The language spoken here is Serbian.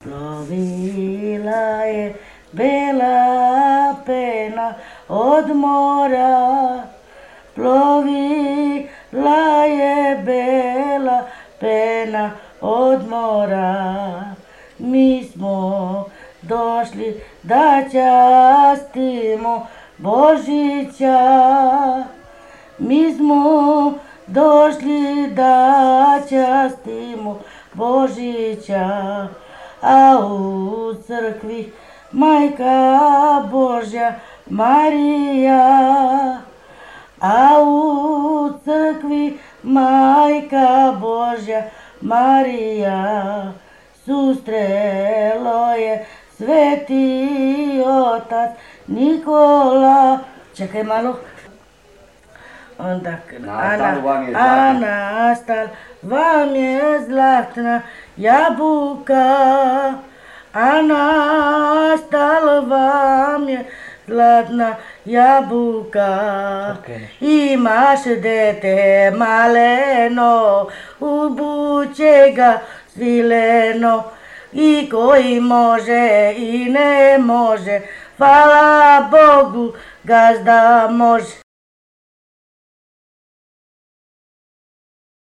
Plovila je bela pena od mora, plovila je bela pena od mora. Mi smo došli da častimo Božića, mi smo došli da častimo Božića, a u crkvi Majka Božja Marija, a u crkvi Majka Božja Marija, sustrelo je Sveti Otac Nikola. Čekaj malo. Onda a nastal vam je zlatna jabuka, a nastal vam je zlatna jabuka. Imaš dete maleno, obuće ga svileno, i koji može i ne može, hvala Bogu, gazda može.